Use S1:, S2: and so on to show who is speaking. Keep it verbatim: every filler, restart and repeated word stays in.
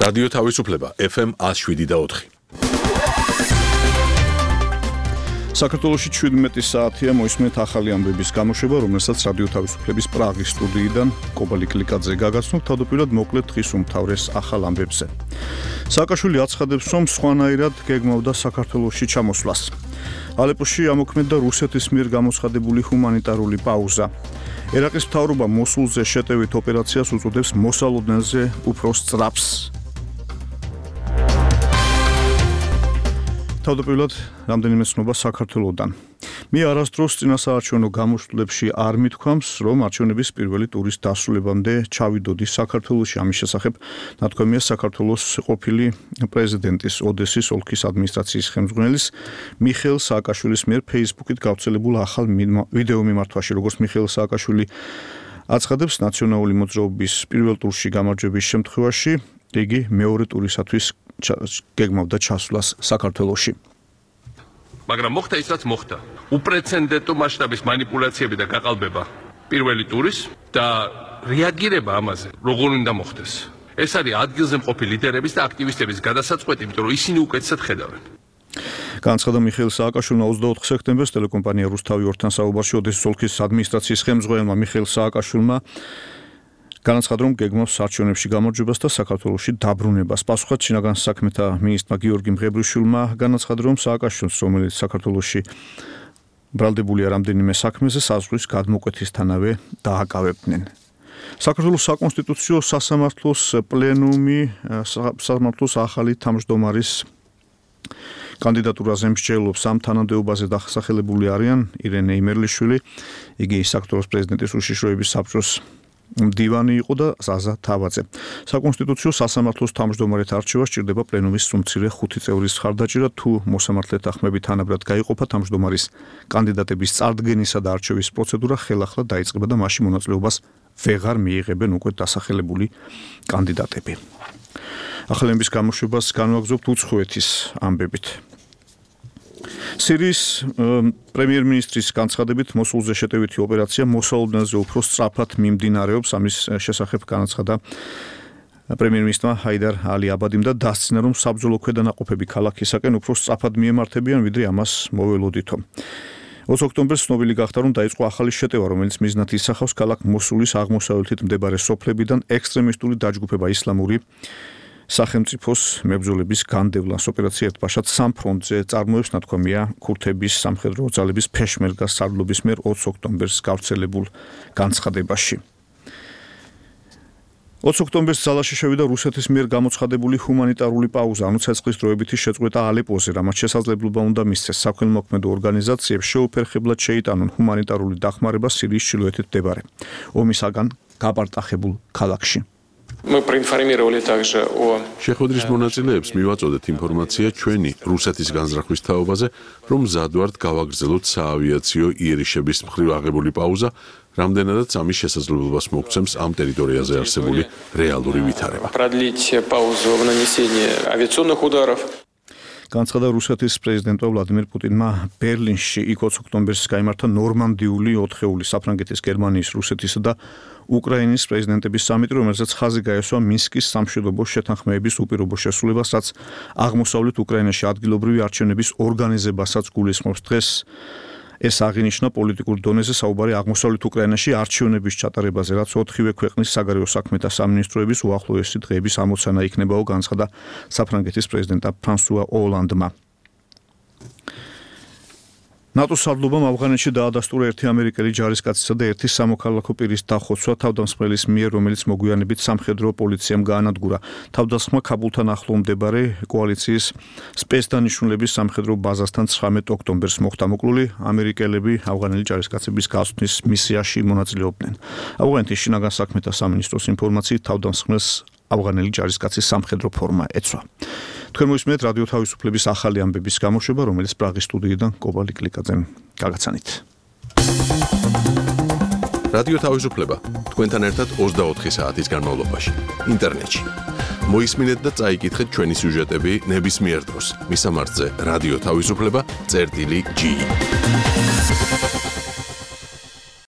S1: რადიო თავისუფლება ეფ ემ ათს შვიდი და ოთხი. საქართველოში შვიდმეტი საათია მოისმენთ ახალი ამბების გამოშვება, რომელსაც რადიო თავისუფლების პრაღის სტუდიიდან კობალი კლიკაძე გაგაცნობ, თავდაპირველად მოკლედ დღის უმთავრეს ახალ ამბებზე. სააკაშვილი აცხადებს, რომ სხვანაირად გეგმავდა საქართველოში ჩამოსვლას. ალეპოში ამოქმედდა რუსეთის მიერ გამოცხადებული ჰუმანიტარული პაუზა. ერაყის მთავრობა მოსულზე შეტევით ოპერაციას უწოდებს მოსალოდნელზე უფრო სწრაფს. თავდაპირველად რამდენიმე ცნობა საქართველოდან. მე არასდროს წინასაარჩევნო გამოშვებებში არ მithქვამს, რომ არჩევნების პირველი ტურის დასრულებამდე ჩავიდოდი საქართველოში. ამის შესახებ ნათქვამია საქართველოს ყოფილი პრეზიდენტის ოდესის ოლქის ადმინისტრაციის ხელმძღვანელის მიხეილ სააკაშვილის მიერ Facebook-ით გავრცელებულ ახალ ვიდეო მიმართვაში, როგორც მიხეილ სააკაშვილი აცხადებს, ნაციონალური მოძრაობის პირველ ტურში გამარჯვების შემთხვევაში იგი მეორე ტურისათვის გეგმავდა ჩასვლას საქართველოში.
S2: მაგრამ მოხდა ის, რაც მოხდა. უპრეცედენტო მასშტაბის манипуляციები და გაყალბება პირველი ტურის და რეაგირება ამაზე როგორ უნდა მოხდეს. ეს არის ადგილზე მყოფი ლიდერების და აქტივისტების გადასაწყვეტი, იმიტომ რომ ისინი უკეთესად ხედავენ.
S1: განაცხადა მიხეილ სააკაშვილმა ოცდაოთხ სექტემბერს ტელეკომპანია რუსთავი ორთან საუბარში ოდესის ოლქის ადმინისტრაციის ხელმძღვანელმა მიხეილ სააკაშვილმა განაცხადა, რომ გეგმავს არჩევნებში გამარჯვებას და საქართველოში დაბრუნებას. პასუხად შინაგან საქმეთა მინისტრმა გიორგი მღებრიშვილმა განაცხადა, რომ სააკაშვილს, რომელიც საქართველოში ბრალდებულია რამდენიმე საქმეზე, საზღვრის გადმოკვეთისთანავე დააკავებდნენ. საქართველოს საკონსტიტუციო სასამართლოს პლენუმი სასამართლოს ახალი თავმჯდომარის კანდიდატურაზე მსჯელობს. ამ თანამდებობაზე დასახელებული არიან ირენე იმერლიშვილი, იგი საქართველოს პრეზიდენტის უშიშროების საბჭოს მდივანი იყო და ზაზა თავაძე. საკონსტიტუციო სასამართლოს თავმჯდომარედ არჩევა სჭირდება პლენუმის სრულმცირე ხუთი წევრის მხარდაჭერა. თუ მოსამართლეთა ხმები თანაბრად გაიყოფა, თავმჯდომარის კანდიდატების წარდგენისა და არჩევის პროცედურა ხელახლა დაიწყება და მასში მონაწილეობას ვეღარ მიიღებენ უკვე დასახელებული კანდიდატები. ახალების გამოშვებას განვაგრძობთ უცხოეთის ამბებით. სირიის პრემიერ-მინისტრის განცხადებით მოსულზე შეტევითი ოპერაცია მოსალოდნელზე უფრო სწრაფად მიმდინარეობს. ამის შესახებ განაცხადა პრემიერ-მინისტრმა ჰაიდარ ალი აბადიმ და დასცინა, რომ საბრძოლო ქვედანაყოფები ქალაქისაკენ უფრო სწრაფად მიემართებიან, ვიდრე ამას მოველოდითო. ოცი ოქტომბერს ცნობილი გახდა, რომ დაიწყო ახალი შეტევა, რომელიც მიზნად ისახავს ქალაქ მოსულის აღმოსავლეთით მდებარე სოფლებიდან ექსტრემისტული დაჯგუფება ისლამური სახელმწიფოს მებრძოლების განდევლას. ოპერაცია ერთბაშად სამ ფრონტზე წარმოებს, ნათქვამია ქურთების სამხედრო ძალების ფეშმერგას სარდლობის მიერ ოცი ოქტომბერს გავრცელებულ განცხადებაში. ოცი ოქტომბერს ძალაში შევიდა რუსეთის მიერ გამოცხადებული ჰუმანიტარული პაუზა, ანუ ცეცხლის დროებითი შეწყვეტა ალეპოზე, რამაც შესაძლებლობა უნდა მისცეს საქველმოქმედო ორგანიზაციებს შეუფერხებლად შეიტანონ ჰუმანიტარული დახმარება სირიის ჩრდილოეთით მდებარე ომისაგან გაპარტახებულ ქალაქში.
S3: Мы проинформировали также о
S4: შეხვედრის მონაწილეებს მივაწოდეთ ინფორმაცია ჩვენი რუსეთის განზრახვის თაობაზე, რომ მზად ვართ გავაგრძელოთ საავიაციო იერიშების მხრივ აღებული პაუზა, რამდენადაც ამის შესაძლებლობას მოგცემს ამ ტერიტორიაზე არსებული რეალური ვითარება.
S3: продлить паузу в нанесении авиационных ударов.
S1: განაცხადა რუსეთის პრეზიდენტმა ვლადიმერ პუტინმა ბერლინში იქ ოცი ოქტომბერს გაიმართა ნორმანდიული ოთხეული საფრანგეთის, გერმანიის, რუსეთისა და უკრაინის პრეზიდენტების სამიტი, რომელზეც ხაზი გაესვა მინსკის სამშვიდობო შეთანხმებების უპირობო შესრულებას, რაც აღმოსავლეთ უკრაინაში ადგილობრივი არჩევნების ორგანიზებასაც გულისხმობს. დღეს ეს აღინიშნა პოლიტიკურ დონეზე საუბარი აღმოსავლეთ უკრაინაში არჩევნების ჩატარებაზე, რაც ოთხივე ქვეყნის საგარეო საქმეთა სამინისტროების უახლოესი დღეების ამოცანა იქნებაო, განაცხადა საფრანგეთის პრეზიდენტმა ფრანსუა ოლანდმა. ნატოს სარდლობამ ავღანეთში დაადასტურა ერთი ამერიკელი ჯარისკაცისა და ერთი სამოქალაქო პირის დახოცვა თავდამსხმელის მიერ, რომელიც მოგვიანებით სამხედრო პოლიციამ გაანადგურა. თავდამსხმა ქაბულთან ახლო მდებარე კოალიციის სპეცდანიშნულების სამხედრო ბაზასთან ცხრამეტ ოქტომბერს მოხდა. მოკლული ამერიკელები ავღანელი ჯარისკაცების გასვლის მისიაში მონაწილეობდნენ. ავღანეთის შინაგან საქმეთა სამინისტროს ინფორმაციით თავდამსხმელს ავღანელი ჯარისკაცის სამხედრო ფორმა ეცვა. თქვენ მოისმენთ რადიო თავისუფლების ახალი ამბების გამოშვება, რომელიც პრაღის სტუდიიდან კობალი კლიკაძემ გაგაცანით.
S4: რადიო თავისუფლება თქვენთან ერთად ოცდაოთხი საათის განმავლობაში ინტერნეტში. მოისმინეთ და წაიკითხეთ ჩვენი სიუჟეტები ნებისმიერ დროს. მისამართზე რადიო თავისუფლება წერტილი ჯი.